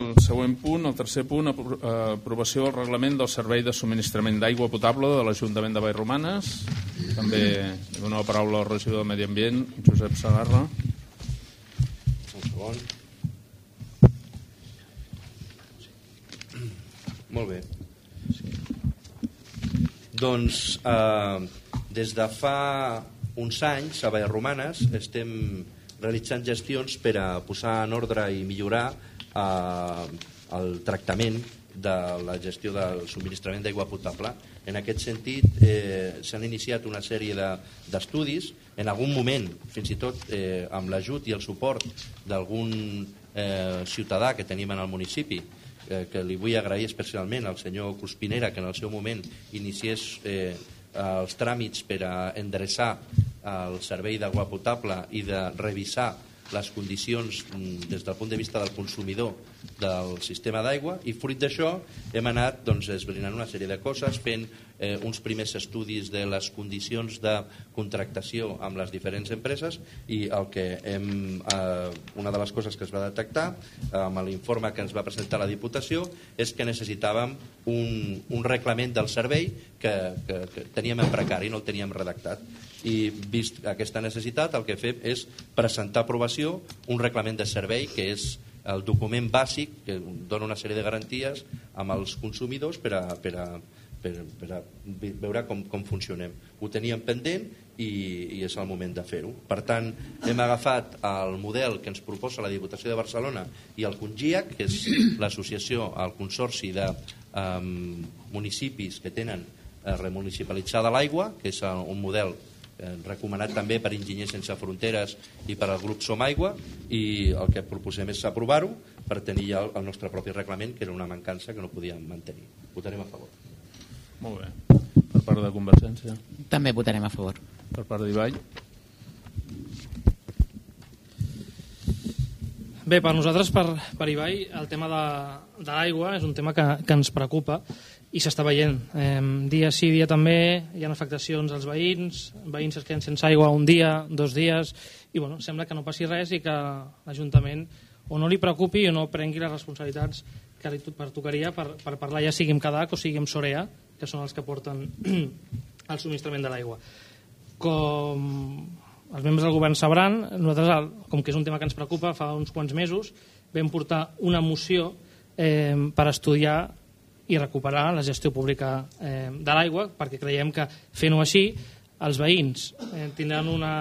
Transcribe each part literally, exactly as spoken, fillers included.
el següent punt, el tercer punt, aprovació del reglament del servei de subministrament d'aigua potable de l'Ajuntament de Vallromanes. També dono la paraula al regidor de Medi Ambient, Josep Segarra. Un segon. Molt bé. Doncs eh, des de fa uns anys a Vallromanes estem realitzant gestions per a posar en ordre i millorar eh, el tractament de la gestió del subministrament d'aigua potable. En aquest sentit eh, s'han iniciat una sèrie d'estudis, en algun moment fins i tot eh, amb l'ajut i el suport d'algun eh, ciutadà que tenim en el municipi, eh, que li vull agrair especialment al senyor Cuspinera, que en el seu moment iniciés eh, els tràmits per a endreçar el servei d'aigua potable i de revisar les condicions des del punt de vista del consumidor del sistema d'aigua, i fruit d'això hem anat doncs, esbrinant una sèrie de coses, fent eh, uns primers estudis de les condicions de contractació amb les diferents empreses, i el que hem, eh, una de les coses que es va detectar eh, amb l'informe que ens va presentar la Diputació és que necessitàvem un, un reglament del servei que, que, que teníem en precari, no el teníem redactat, i vist aquesta necessitat el que fem és presentar a aprovació un reglament de servei que és el document bàsic que dona una sèrie de garanties amb els consumidors per a, per a, per, per a veure com, com funcionem. Ho teníem pendent i, i és el moment de fer-ho. Per tant, hem agafat el model que ens proposa la Diputació de Barcelona i el CONGIAC, que és l'associació, el consorci de um, municipis que tenen eh, remunicipalitzada l'aigua, que és un model recomanat també per Enginyers Sense Fronteres i per al grup Som Aigua, i el que proposem és aprovar-ho per tenir ja el nostre propi reglament, que era una mancança que no podíem mantenir. Votarem a favor. Molt bé. Per part de Convergència? També votarem a favor. Per part d'Ibai? Bé, per nosaltres, per, per Ibai, el tema de, de l'aigua és un tema que, que ens preocupa i s'està veient. Eh, dia sí, dia també, hi ha afectacions als veïns, veïns es queden sense aigua un dia, dos dies, i bueno, sembla que no passi res i que l'Ajuntament o no li preocupi o no prengui les responsabilitats que li pertocaria per, per parlar, ja sigui amb Cadac o sigui amb Sorea, que són els que porten el subministrament de l'aigua. Com els membres del govern sabran, nosaltres, com que és un tema que ens preocupa, fa uns quants mesos vam portar una moció eh, per estudiar i recuperar la gestió pública eh, de l'aigua, perquè creiem que fent-ho així els veïns eh, tindran una,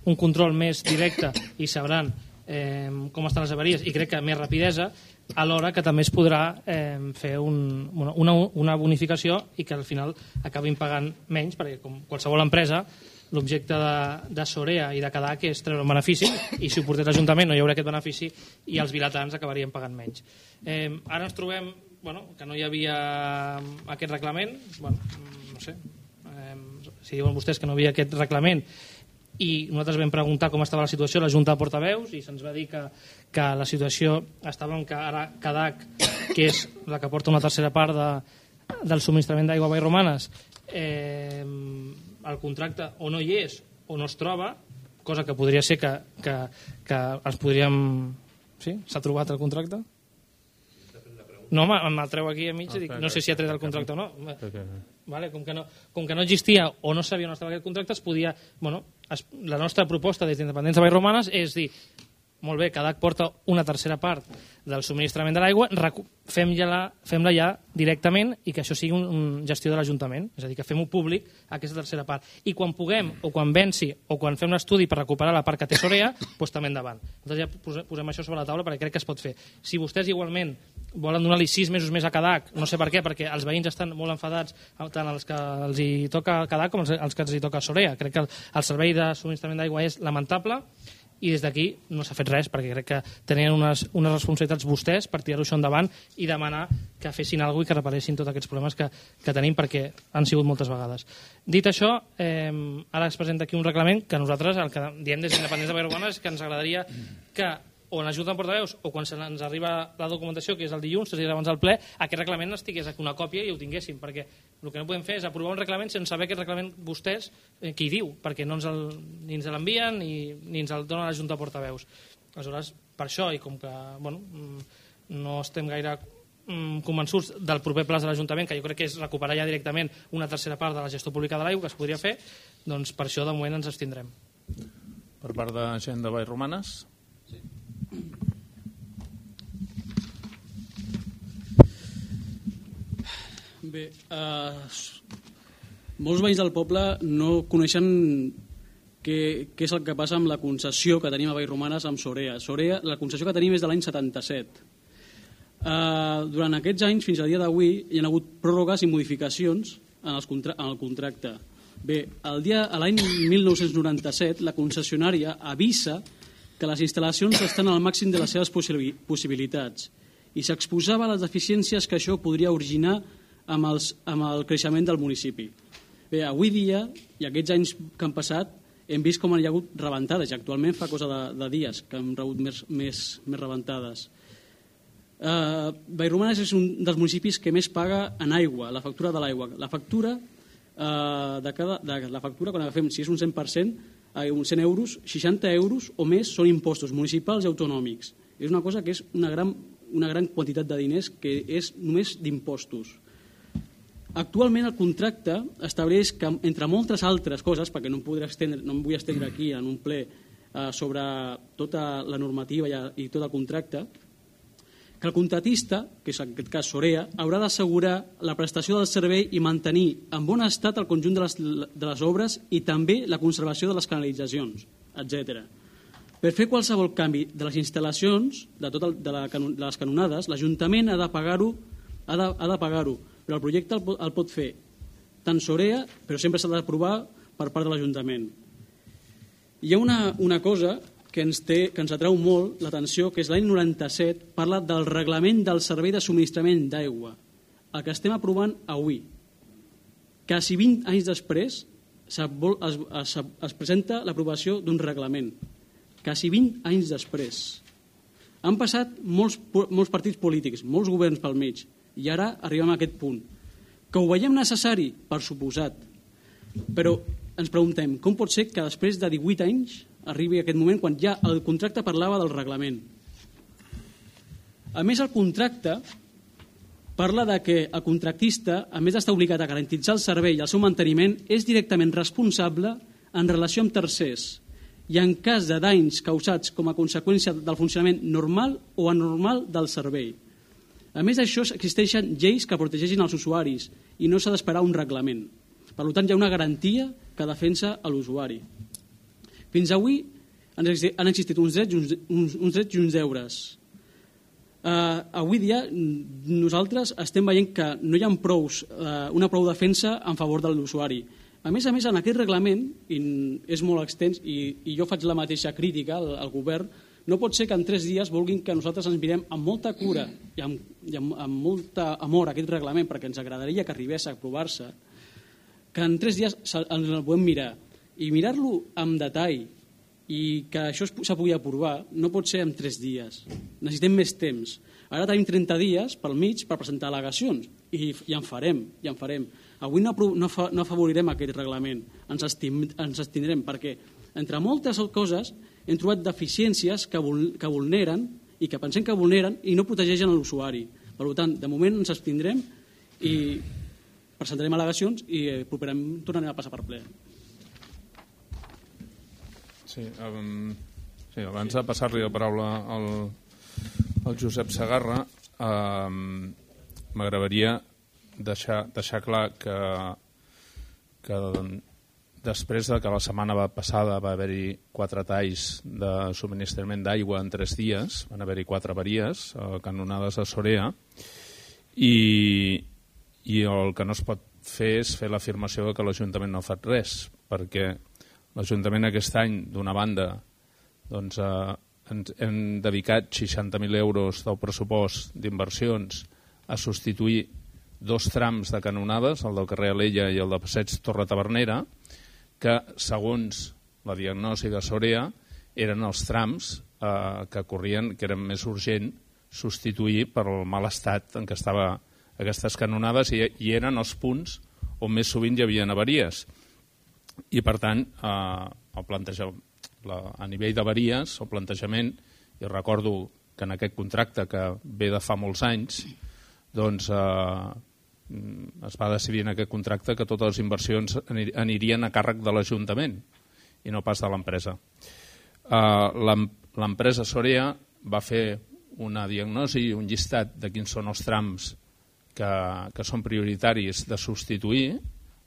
un control més directe i sabran eh, com estan les avaries, i crec que més rapidesa, alhora que també es podrà eh, fer un, una, una bonificació i que al final acabin pagant menys, perquè com qualsevol empresa l'objecte de, de Sorea i de Cadac és treure un benefici, i si ho portés l'Ajuntament no hi haurà aquest benefici i els vilatans acabarien pagant menys. Eh, ara ens trobem bueno, que no hi havia aquest reglament, bueno, no sé, eh, si diuen vostès que no hi havia aquest reglament i nosaltres vam preguntar com estava la situació a la Junta de Portaveus i se'ns va dir que, que la situació estava en que ara Cadac, que és la que porta una tercera part de, del subministrament d'aigua a Vallromanes, eh, el contracte o no hi és o no es troba, cosa que podria ser que, que, que ens podríem... Sí? S'ha trobat el contracte? No, me'l treu aquí a mig i dic, no sé si ha tret el contracte o no. Vale, com, que no com que no existia o no sabia on estava aquest contracte, es podia... Bueno, es, la nostra proposta des d'Independents de Vallromanes és dir, molt bé, Cadac porta una tercera part del subministrament de l'aigua, fem-la fem ja directament i que això sigui un, un gestió de l'Ajuntament, és a dir, que fem-ho públic aquesta tercera part. I quan puguem, o quan venci, o quan fem l'estudi per recuperar la part que té Sorea, doncs també endavant. Nosaltres ja posem això sobre la taula perquè crec que es pot fer. Si vostès igualment volen donar-li sis mesos més a Cadac, no sé per què, perquè els veïns estan molt enfadats, tant els que els hi toca Cadac com els, els que els hi toca Sorea. Crec que el, el servei de subministrament d'aigua és lamentable i des d'aquí no s'ha fet res, perquè crec que tenien unes, unes responsabilitats vostès per tirar-ho això endavant i demanar que fessin alguna cosa i que reparessin tots aquests problemes que, que tenim, perquè han sigut moltes vegades. Dit això, eh, ara es presenta aquí un reglament que nosaltres, el que diem des d'Independents de Vallromanes, és que ens agradaria que o en l'Ajuda de Portaveus o quan ens arriba la documentació, que és el dilluns, tres dies abans del ple, aquest reglament estigués aquí una còpia i ho tinguéssim, perquè el que no podem fer és aprovar un reglament sense saber aquest reglament vostès eh, qui diu, perquè no ens el, ni ens l'envien ni, ni ens el donen a l'Ajuda de Portaveus. Aleshores, per això, i com que bueno, no estem gaire convençuts del proper pla de l'Ajuntament, que jo crec que és recuperar ja directament una tercera part de la gestió pública de l'aigua que es podria fer, doncs per això de moment ens abstindrem. Per part de gent de Vallromanes? Sí. Bé, eh, molts veïns del poble no coneixen què, què és el que passa amb la concessió que tenim a Vallromanes amb Sorea. Sorea, la concessió que tenim és de l'any setanta-set. Uh, durant aquests anys, fins al dia d'avui, hi ha hagut pròrrogues i modificacions en, els contra en el contracte. Bé, el dia, a l'any mil nou-cents noranta-set, la concessionària avisa que les instal·lacions estan al màxim de les seves possibilitats i s'exposava a les deficiències que això podria originar amb, els, amb el creixement del municipi. Bé, avui dia, i aquests anys que han passat, hem vist com hi ha hagut rebentades, i actualment fa cosa de, de dies que hem rebut més, més, més rebentades. Uh, Vallromanes és un dels municipis que més paga en aigua, la factura de l'aigua. La factura, uh, de cada, de la factura, quan agafem, si és un cent per cent, uh, uns cent euros, seixanta euros o més són impostos municipals i autonòmics. És una cosa que és una gran, una gran quantitat de diners que és només d'impostos. Actualment el contracte estableix que, entre moltes altres coses, perquè no em, podré estendre, no em vull estendre aquí en un ple uh, sobre tota la normativa i, i tot el contracte, que el contratista, que és en aquest cas Sorea, haurà d'assegurar la prestació del servei i mantenir en bon estat el conjunt de les, de les obres i també la conservació de les canalitzacions, etcètera. Per fer qualsevol canvi de les instal·lacions, de, tot el, de, la, de les canonades, l'Ajuntament ha de pagar-ho, ha de, ha de pagar-ho, però el projecte el, el pot fer tant Sorea, però sempre s'ha d'aprovar per part de l'Ajuntament. Hi ha una, una cosa que ens, té, que ens atrau molt l'atenció, que és l'any noranta-set, parla del reglament del servei de subministrament d'aigua, el que estem aprovant avui. Quasi vint anys després es, es, es, es presenta l'aprovació d'un reglament. Quasi vint anys després. Han passat molts, molts partits polítics, molts governs pel mig, i ara arribem a aquest punt. Que ho veiem necessari, per suposat, però ens preguntem com pot ser que després de divuit anys arribi aquest moment quan ja el contracte parlava del reglament. A més, el contracte parla de que el contractista, a més d'estar obligat a garantitzar el servei i el seu manteniment, és directament responsable en relació amb tercers i en cas de danys causats com a conseqüència del funcionament normal o anormal del servei. A més d'això, existeixen lleis que protegeixin els usuaris i no s'ha d'esperar un reglament. Per tant, hi ha una garantia que defensa l'usuari. Fins avui han existit uns drets i uns, uns, uns, drets i uns deures. Uh, avui dia nosaltres estem veient que no hi ha prous, uh, una prou defensa en favor de l'usuari. A més a més, en aquest reglament, i és molt extens, i, i jo faig la mateixa crítica al, al govern, no pot ser que en tres dies vulguin que nosaltres ens mirem amb molta cura i amb, i amb, amb molt amor a aquest reglament, perquè ens agradaria que arribés a aprovar-se, que en tres dies ens el podem mirar. I mirar-lo amb detall i que això se pugui aprovar no pot ser en tres dies. Necessitem més temps. Ara tenim trenta dies pel mig per presentar al·legacions i, i en farem, i en farem. Avui no, no, fa, no afavorirem aquest reglament, ens, estim, ens estindrem, perquè entre moltes coses hem trobat deficiències que, vul, que vulneren i que pensem que vulneren i no protegeixen l'usuari. Per tant, de moment ens abstindrem i presentarem al·legacions i eh, properament tornarem a passar per ple. Sí, um, sí, abans de passar-li la paraula al, al Josep Segarra, um, m'agradaria deixar, deixar clar que, que després de que la setmana passada va haver-hi quatre talls de subministrament d'aigua en tres dies, van haver-hi quatre avaries, eh, canonades a Sorea, i, i el que no es pot fer és fer l'afirmació que l'Ajuntament no ha fet res, perquè l'Ajuntament aquest any, d'una banda, doncs, eh, ens hem dedicat seixanta mil euros del pressupost d'inversions a substituir dos trams de canonades, el del carrer Alella i el de Passeig Torre Tavernera, que, segons la diagnosi de Sorea, eren els trams eh, que corrien, que eren més urgent substituir per el mal estat en què estaven aquestes canonades i, i eren els punts on més sovint hi havia avaries. I, per tant, eh, el planteja, la, a nivell d'avaries, el plantejament, i recordo que en aquest contracte que ve de fa molts anys doncs eh, es va decidir en aquest contracte que totes les inversions anirien a càrrec de l'Ajuntament i no pas de l'empresa. Eh, l'empresa Sorea va fer una diagnosi i un llistat de quins són els trams que, que són prioritaris de substituir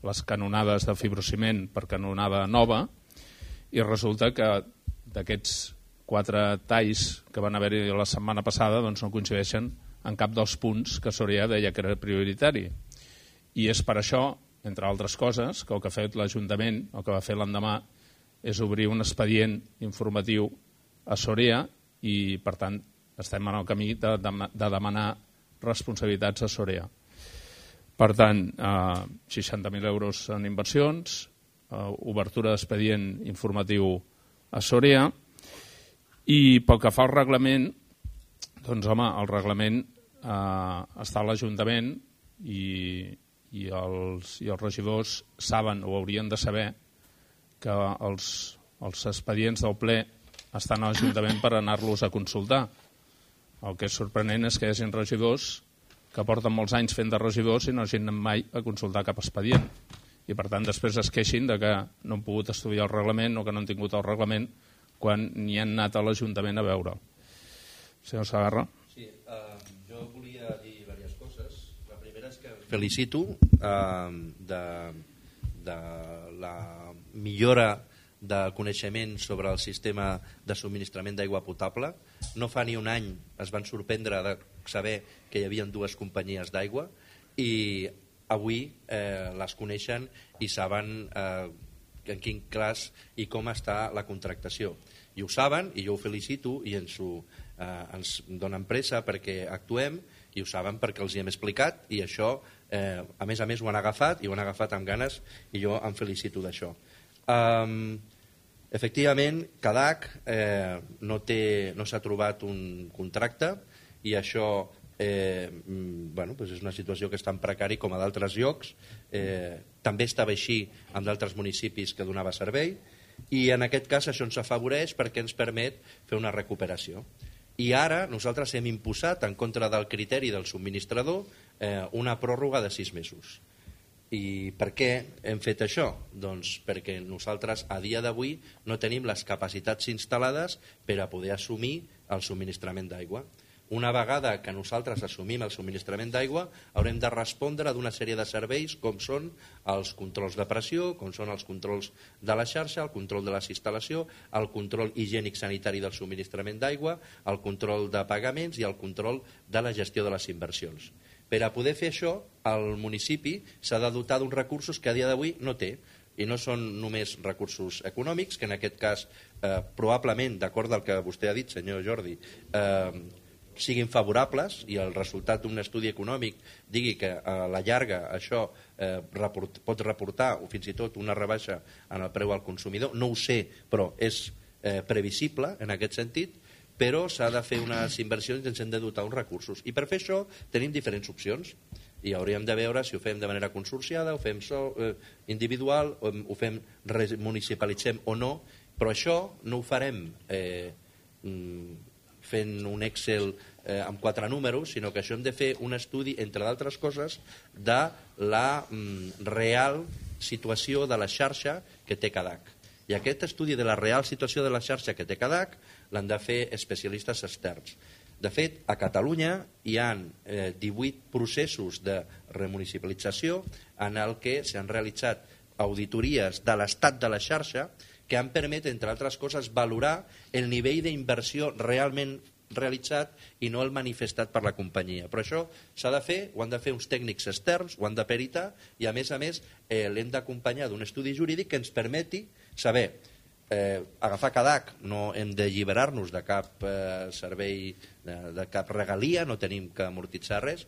les canonades de fibrociment per canonada nova, i resulta que d'aquests quatre talls que van haver-hi la setmana passada doncs no coincideixen en cap dels punts que Sorea deia que era prioritari. I és per això, entre altres coses, que el que ha fet l'Ajuntament, el que va fer l'endemà, és obrir un expedient informatiu a Sorea i, per tant, estem en el camí de, de, de demanar responsabilitats a Sorea. Per tant, eh, seixanta mil euros en inversions, eh, obertura d'expedient informatiu a Sorea, i pel que fa al reglament, doncs home, el reglament eh, està a l'Ajuntament i, i, els, i els regidors saben o haurien de saber que els, els expedients del ple estan a l'Ajuntament per anar-los a consultar. El que és sorprenent és que hi hagi regidors que porten molts anys fent de regidors i no hagin anat mai a consultar cap expedient. I per tant després es queixin de que no han pogut estudiar el reglament o que no han tingut el reglament quan n'hi han anat a l'Ajuntament a veure. Senyor Segarra. Sí, uh, jo volia dir diverses coses. La primera és que felicito uh, de, de la millora de coneixement sobre el sistema de subministrament d'aigua potable. No fa ni un any es van sorprendre de saber que hi havia dues companyies d'aigua i avui eh, les coneixen i saben eh, en quin cas i com està la contractació. I ho saben, i jo ho felicito, i ens, ho, eh, ens donen pressa perquè actuem, i ho saben perquè els hi hem explicat, i això, eh, a més a més, ho han agafat, i ho han agafat amb ganes, i jo em felicito d'això. Um, efectivament, Cadac eh, no té, no s'ha trobat un contracte, i això eh, bueno, doncs és una situació que és tan precari com a d'altres llocs. Eh, també estava així amb d'altres municipis que donava servei, i en aquest cas això ens afavoreix perquè ens permet fer una recuperació. I ara nosaltres hem imposat, en contra del criteri del subministrador, eh, una pròrroga de sis mesos. I per què hem fet això? Doncs perquè nosaltres a dia d'avui no tenim les capacitats instal·lades per a poder assumir el subministrament d'aigua. Una vegada que nosaltres assumim el subministrament d'aigua, haurem de respondre d'una sèrie de serveis com són els controls de pressió, com són els controls de la xarxa, el control de les instal·lació, el control higiènic sanitari del subministrament d'aigua, el control de pagaments i el control de la gestió de les inversions. Per a poder fer això, el municipi s'ha de dotar d'uns recursos que a dia d'avui no té. I no són només recursos econòmics, que en aquest cas, eh, probablement, d'acord al que vostè ha dit, senyor Jordi, eh, siguin favorables i el resultat d'un estudi econòmic digui que a la llarga això eh, report, pot reportar o fins i tot una rebaixa en el preu al consumidor. No ho sé, però és eh, previsible en aquest sentit, però s'ha de fer unes inversions i ens hem de dotar uns recursos. I per fer això tenim diferents opcions i hauríem de veure si ho fem de manera consorciada, ho fem so, eh, individual, o ho fem municipalitzem o no, però això no ho farem eh, fent un Excel eh, amb quatre números, sinó que això hem de fer un estudi, entre d'altres coses, de la mm, real situació de la xarxa que té Cadac. I aquest estudi de la real situació de la xarxa que té Cadac l'han de fer especialistes externs. De fet, a Catalunya hi ha eh, divuit processos de remunicipalització en el que s'han realitzat auditories de l'estat de la xarxa que han permès, entre altres coses, valorar el nivell d'inversió realment realitzat i no el manifestat per la companyia. Però això s'ha de fer, ho han de fer uns tècnics externs, ho han de peritar i, a més a més, eh, l'hem d'acompanyar d'un estudi jurídic que ens permeti saber eh, agafar Cadac, no hem d'alliberar-nos de cap eh, servei, de, de cap regalia, no tenim que amortitzar res,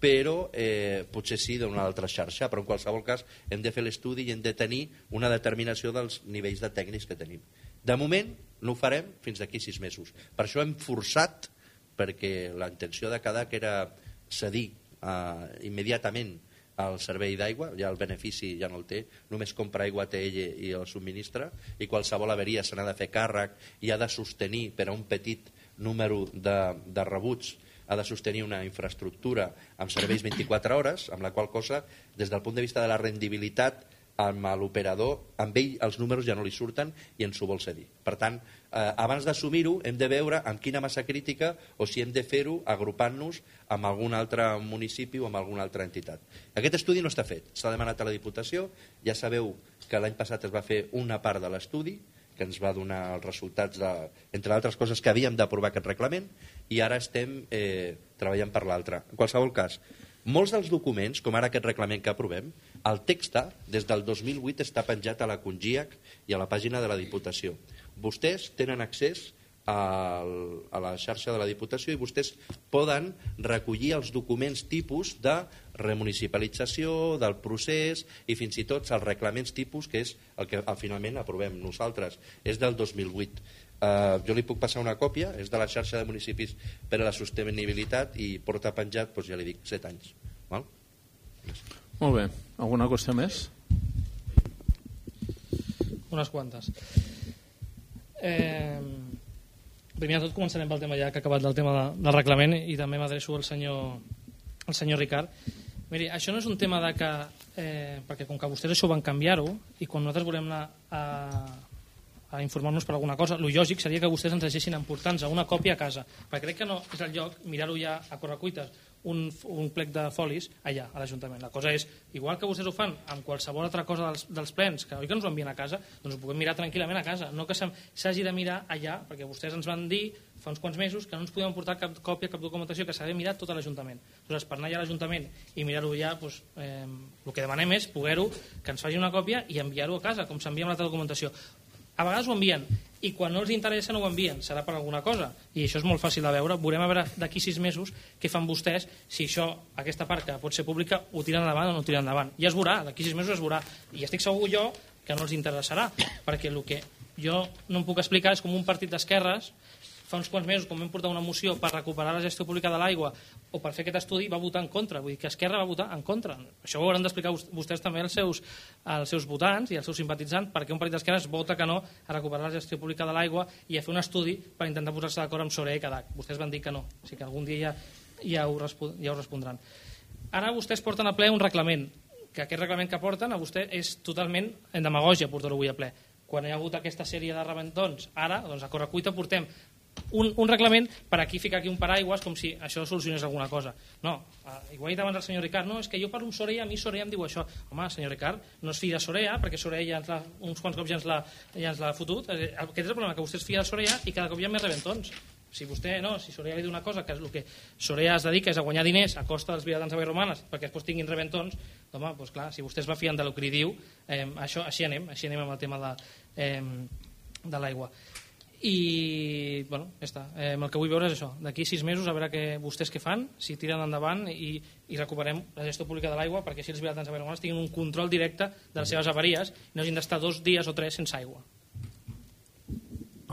però eh, potser sí d'una altra xarxa, però en qualsevol cas hem de fer l'estudi i hem de tenir una determinació dels nivells de tècnics que tenim. De moment no ho farem fins d'aquí sis mesos. Per això hem forçat, perquè la intenció de Cadac era cedir eh, immediatament al servei d'aigua, ja el benefici ja no el té, només compra aigua té ell i el subministra, i qualsevol averia se n'ha de fer càrrec i ha de sostenir per a un petit número de, de rebuts ha de sostenir una infraestructura amb serveis vint-i-quatre hores, amb la qual cosa, des del punt de vista de la rendibilitat, amb l'operador, amb ell els números ja no li surten i ens ho vol cedir. Per tant, eh, abans d'assumir-ho hem de veure amb quina massa crítica o si hem de fer-ho agrupant-nos amb algun altre municipi o amb alguna altra entitat. Aquest estudi no està fet, s'ha demanat a la Diputació, ja sabeu que l'any passat es va fer una part de l'estudi, que ens va donar els resultats, de, entre altres coses, que havíem d'aprovar aquest reglament, i ara estem eh, treballant per l'altre. En qualsevol cas, molts dels documents, com ara aquest reglament que aprovem, el text des del dos mil vuit està penjat a la Congiac i a la pàgina de la Diputació. Vostès tenen accés a la xarxa de la Diputació i vostès poden recollir els documents tipus de remunicipalització, del procés i fins i tot els reglaments tipus, que és el que finalment aprovem nosaltres. És del dos mil vuit. Uh, jo li puc passar una còpia, és de la xarxa de municipis per a la sostenibilitat i porta penjat, doncs ja li dic, set anys. Val? Molt bé. Alguna qüestió més? Unes quantes. Eh, primer de tot començarem pel tema ja que ha acabat del tema de, del reglament i també m'adreço al senyor, al senyor Ricard. Miri, això no és un tema de que... Eh, perquè com que vostès això van canviar-ho i quan nosaltres volem anar a... a informar-nos per alguna cosa, el lògic seria que vostès ens deixessin emportar-nos una còpia a casa, perquè crec que no és el lloc mirar-ho ja a correcuites, un, un plec de folis allà, a l'Ajuntament. La cosa és, igual que vostès ho fan amb qualsevol altra cosa dels, dels plens, que oi que ens ho envien a casa, doncs ho puguem mirar tranquil·lament a casa, no que s'hagi de mirar allà, perquè vostès ens van dir fa uns quants mesos que no ens podíem portar cap còpia, cap documentació, que s'ha de mirar tot a l'Ajuntament. Aleshores, per anar allà a l'Ajuntament i mirar-ho ja, doncs, eh, el que demanem és poder-ho, que ens faci una còpia i enviar-ho a casa, com s'envia amb l'altra documentació. A vegades ho envien i quan no els interessa no ho envien, serà per alguna cosa i això és molt fàcil de veure, veurem a veure d'aquí sis mesos què fan vostès, si això, aquesta part que pot ser pública, ho tiren endavant o no ho tiren endavant, i es veurà, d'aquí sis mesos es veurà i estic segur jo que no els interessarà perquè el que jo no em puc explicar és com un partit d'esquerres fa uns quants mesos, quan vam portar una moció per recuperar la gestió pública de l'aigua o per fer aquest estudi, va votar en contra. Vull dir que Esquerra va votar en contra. Això ho hauran d'explicar vostès també als seus, als seus votants i als seus simpatitzants perquè un partit d'esquerra es vota que no a recuperar la gestió pública de l'aigua i a fer un estudi per intentar posar-se d'acord amb Sorea i Cadac. Vostès van dir que no. O sigui que algun dia ja, ja, ho, ja ho respondran. Ara vostès porten a ple un reglament, que aquest reglament que porten a vostè és totalment en demagògia portar-ho avui a ple. Quan hi ha hagut aquesta sèrie de rebentons, ara, doncs a correcuita portem Un, un reglament per aquí ficar aquí un paraigües com si això solucionés alguna cosa. No, igual ha dit abans el senyor Ricard, no, és que jo parlo amb Sorea, a mi Sorea em diu això. Home, senyor Ricard, no es fia de Sorea, perquè Sorea ja ens la, uns quants cops ja ens l'ha ja ens l'ha fotut. Aquest és el problema, que vostè es fia de Sorea i cada cop hi ha més rebentons. Si vostè, no, si Sorea li diu una cosa, que és el que Sorea es dedica és a guanyar diners a costa dels vilatans de romanes perquè després tinguin rebentons, home, doncs clar, si vostè es va fiant del que li diu, eh, això, així anem, així anem amb el tema de, eh, de l'aigua. I, bueno, ja està. Eh, el que vull veure és això. D'aquí sis mesos a veure que vostès què fan, si tiren endavant i, i recuperem la gestió pública de l'aigua perquè així els vilatans de Vallromanes tinguin un control directe de les seves avaries i no hagin d'estar dos dies o tres sense aigua.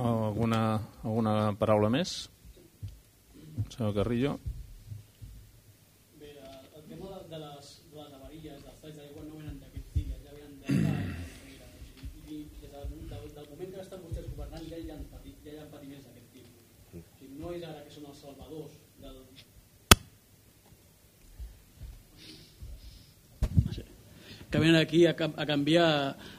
Alguna, alguna paraula més? Senyor Carrillo. Bé, el tema de les, de les avaries, dels talls d'aigua no venen d'aquests dies, ja venen de i des del moment que estan vostès governant ja hi ha patit, ja hi ha patiments d'aquest tipus. O sigui, no és ara que són els salvadors del... que venen aquí a, a canviar,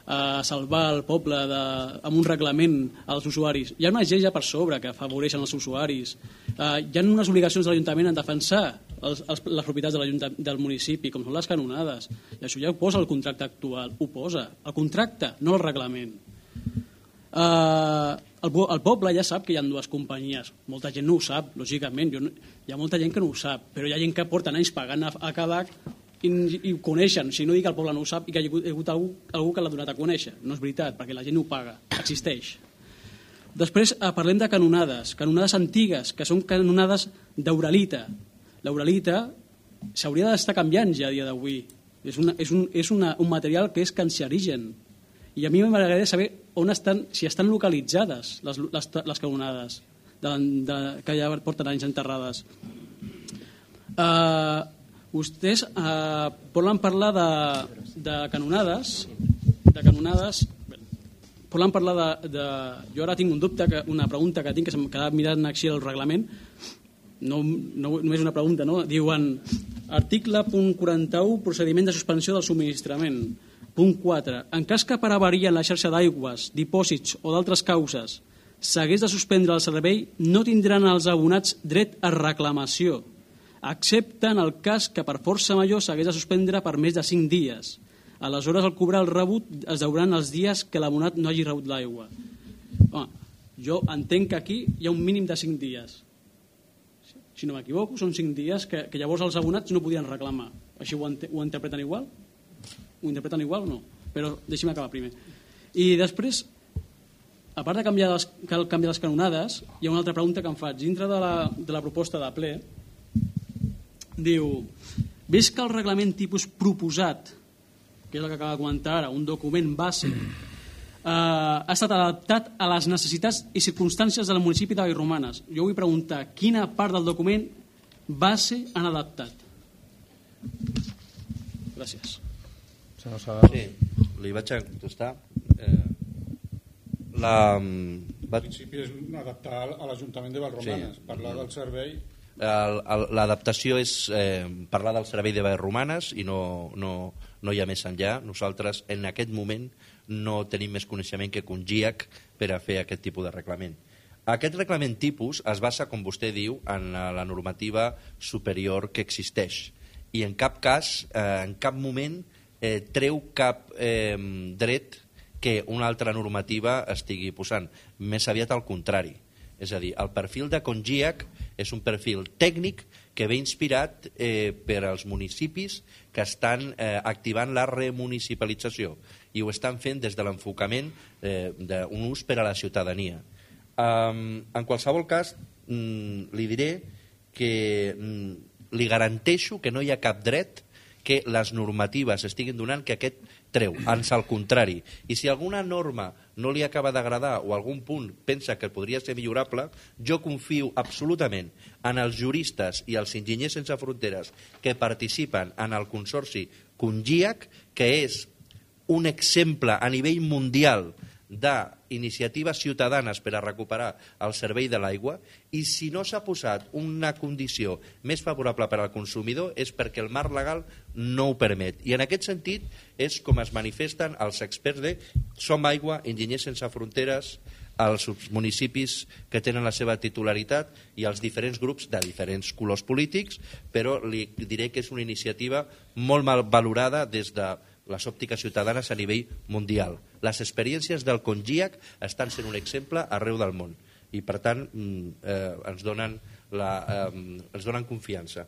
a salvar el poble de, amb un reglament als usuaris. Hi ha unes lleis ja per sobre que afavoreixen els usuaris. Uh, hi ha unes obligacions de l'Ajuntament en defensar els, els, les propietats de del municipi, com són les canonades. I això ja ho posa el contracte actual, ho posa. El contracte, no el reglament. Uh, el, el poble ja sap que hi ha dues companyies. Molta gent no ho sap, lògicament. Jo no, hi ha molta gent que no ho sap, però hi ha gent que porten anys pagant a, a Cadac i, i ho coneixen. Si no dic que el poble no ho sap i que hi ha hagut, hi ha hagut algú, algú que l'ha donat a conèixer. No és veritat, perquè la gent ho paga. Existeix. Després eh, parlem de canonades. Canonades antigues, que són canonades d'Uralita. L'Uralita s'hauria d'estar canviant ja a dia d'avui. És, una, és, un, és una, un material que és cancerigen. I a mi m'agradaria saber on estan, si estan localitzades les, les, les canonades de, de, que ja porten anys enterrades. Uh, vostès uh, volen parlar de, de canonades de canonades volen parlar de, de... Jo ara tinc un dubte, que, una pregunta que tinc, que s'ha quedat mirant així el reglament, no, no només una pregunta, no? Diuen, article punt quaranta-u, procediment de suspensió del subministrament. Punt quatre. En cas que per avaria en la xarxa d'aigües, dipòsits o d'altres causes s'hagués de suspendre el servei, no tindran els abonats dret a reclamació, excepte en el cas que per força major s'hagués de suspendre per més de cinc dies. Aleshores, al cobrar el rebut es deuran els dies que l'abonat no hagi rebut l'aigua. Home, jo entenc que aquí hi ha un mínim de cinc dies. Si no m'equivoco, són cinc dies que, que llavors els abonats no podien reclamar. Així ho, ent ho interpreten igual? Ho interpreten igual o no? Però deixi'm acabar primer. I després, a part de canviar les, cal canviar les canonades, hi ha una altra pregunta que em faig. Dintre de la, de la proposta de ple, diu, ves que el reglament tipus proposat, que és el que acaba de comentar ara, un document base, eh, ha estat adaptat a les necessitats i circumstàncies del municipi de Vallromanes. Jo vull preguntar, quina part del document base han adaptat? Gràcies. Sí, li vaig a contestar. Eh, la, va... En principi és adaptar a l'Ajuntament de Vallromanes, sí. Parlar del servei... L'adaptació és eh, parlar del servei de Vallromanes i no, no, no hi ha més enllà. Nosaltres en aquest moment no tenim més coneixement que Congiac per a fer aquest tipus de reglament. Aquest reglament tipus es basa, com vostè diu, en la normativa superior que existeix i en cap cas, eh, en cap moment eh, treu cap eh, dret que una altra normativa estigui posant. Més aviat al contrari. És a dir, el perfil de Congiac és un perfil tècnic que ve inspirat eh, per als municipis que estan eh, activant la remunicipalització i ho estan fent des de l'enfocament eh, d'un ús per a la ciutadania. Um, en qualsevol cas, mm, li diré que mm, li garanteixo que no hi ha cap dret que les normatives estiguin donant que aquest treu, ans al contrari. I si alguna norma no li acaba d'agradar o algun punt pensa que podria ser millorable, jo confio absolutament en els juristes i els enginyers sense fronteres que participen en el consorci Congiac, que és un exemple a nivell mundial d'iniciatives ciutadanes per a recuperar el servei de l'aigua, i si no s'ha posat una condició més favorable per al consumidor és perquè el marc legal no ho permet. I en aquest sentit és com es manifesten els experts de Som Aigua, Enginyers Sense Fronteres, els municipis que tenen la seva titularitat i els diferents grups de diferents colors polítics, però li diré que és una iniciativa molt mal valorada des de les òptiques ciutadanes a nivell mundial. Les experiències del Congiac estan sent un exemple arreu del món i per tant eh, ens, donen la, eh, ens donen confiança.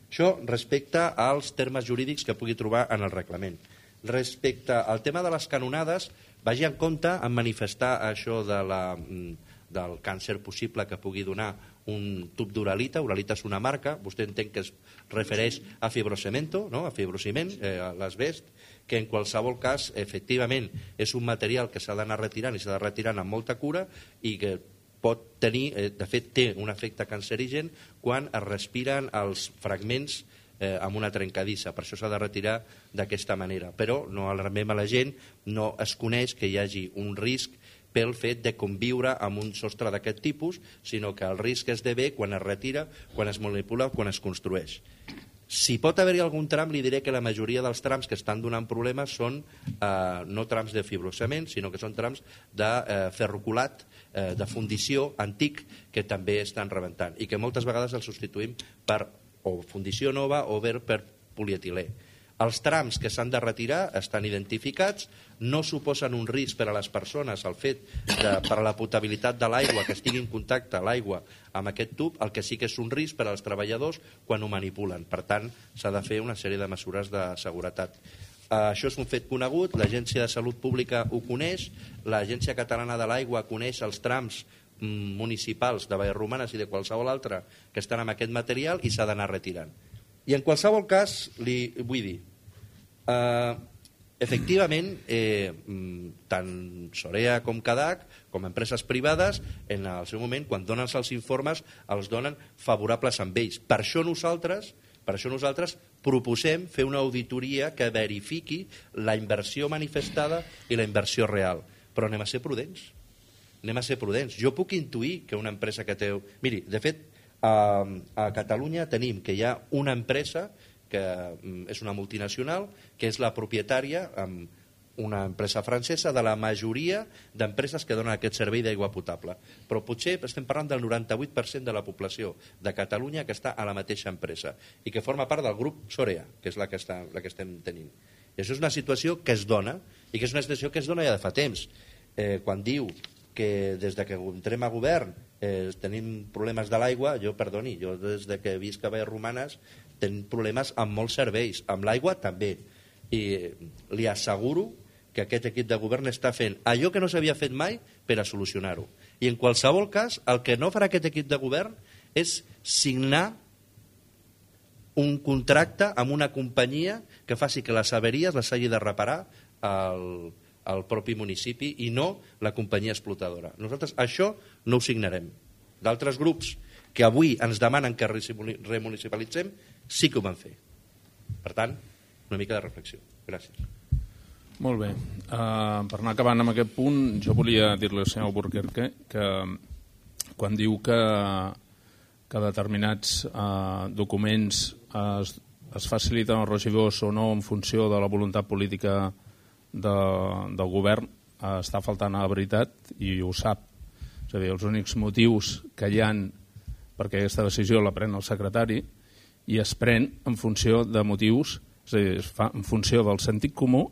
Això respecte als termes jurídics que pugui trobar en el reglament. Respecte al tema de les canonades, vagi en compte en manifestar això de la, del càncer possible que pugui donar un tub d'uralita. Uralita és una marca, vostè entén que es refereix a fibrocemento, no? A fibrociment, eh, a l'asbest, que en qualsevol cas, efectivament, és un material que s'ha d'anar retirant i s'ha de retirar amb molta cura i que pot tenir, eh, de fet té un efecte cancerigen quan es respiren els fragments eh, amb una trencadissa. Per això s'ha de retirar d'aquesta manera. Però no alarmem a la gent, no es coneix que hi hagi un risc pel fet de conviure amb un sostre d'aquest tipus, sinó que el risc es devé quan es retira, quan es manipula, quan es construeix. Si pot haver-hi algun tram, li diré que la majoria dels trams que estan donant problemes són eh, no trams de fibrocement, sinó que són trams de eh, ferrocolat, eh, de fundició antic, que també estan rebentant i que moltes vegades els substituïm per o fundició nova o bé per polietilè. Els trams que s'han de retirar estan identificats, no suposen un risc per a les persones el fet de, per a la potabilitat de l'aigua, que estigui en contacte l'aigua amb aquest tub, el que sí que és un risc per als treballadors quan ho manipulen. Per tant, s'ha de fer una sèrie de mesures de seguretat. Això és un fet conegut, l'Agència de Salut Pública ho coneix, l'Agència Catalana de l'Aigua coneix els trams municipals de Vallromanes i de qualsevol altre que estan amb aquest material i s'ha d'anar retirant. I en qualsevol cas, li vull dir, eh, efectivament, eh, tant Sorea com Cadac, com empreses privades, en el seu moment, quan donen els informes, els donen favorables amb ells. Per això nosaltres, per això nosaltres proposem fer una auditoria que verifiqui la inversió manifestada i la inversió real. però anem a ser prudents. Anem a ser prudents. Jo puc intuir que una empresa que té... Miri, de fet, a, a Catalunya tenim que hi ha una empresa que és una multinacional, que és la propietària, amb una empresa francesa, de la majoria d'empreses que donen aquest servei d'aigua potable. Però potser estem parlant del noranta-vuit per cent de la població de Catalunya que està a la mateixa empresa i que forma part del grup Sorea, que és la que, està, la que estem tenint. I això és una situació que es dona, i que és una situació que es dona ja de fa temps. Eh, quan diu que des de que entrem a govern eh, tenim problemes de l'aigua, jo, perdoni, jo des de que visc a Vallromanes tenim problemes amb molts serveis, amb l'aigua també. I li asseguro que aquest equip de govern està fent allò que no s'havia fet mai per a solucionar-ho. I en qualsevol cas, el que no farà aquest equip de govern és signar un contracte amb una companyia que faci que les averies les hagi de reparar el, el propi municipi i no la companyia explotadora. Nosaltres això no ho signarem. D'altres grups que avui ens demanen que remunicipalitzem sí que ho van fer. Per tant, una mica de reflexió. Gràcies. Molt bé. Uh, per anar acabant amb aquest punt, jo volia dir-li al senyor Burquerque que quan diu que, que determinats uh, documents es, es faciliten als regidors o no en funció de la voluntat política de, del govern, uh, està faltant a la veritat i ho sap. És a dir, els únics motius que hi han perquè aquesta decisió la pren el secretari i es pren en funció de motius, és a dir, es fa en funció del sentit comú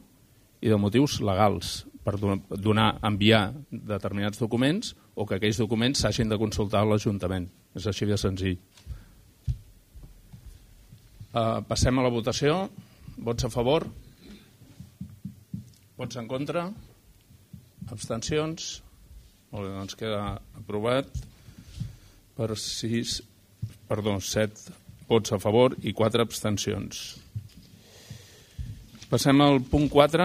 i de motius legals per donar, enviar determinats documents o que aquells documents s'hagin de consultar a l'Ajuntament. És així de senzill. Uh, passem a la votació. Vots a favor? Vots en contra? Abstencions? Molt bé, doncs queda aprovat per sis, perdó, set vots a favor i quatre abstencions. Passem al punt quatre.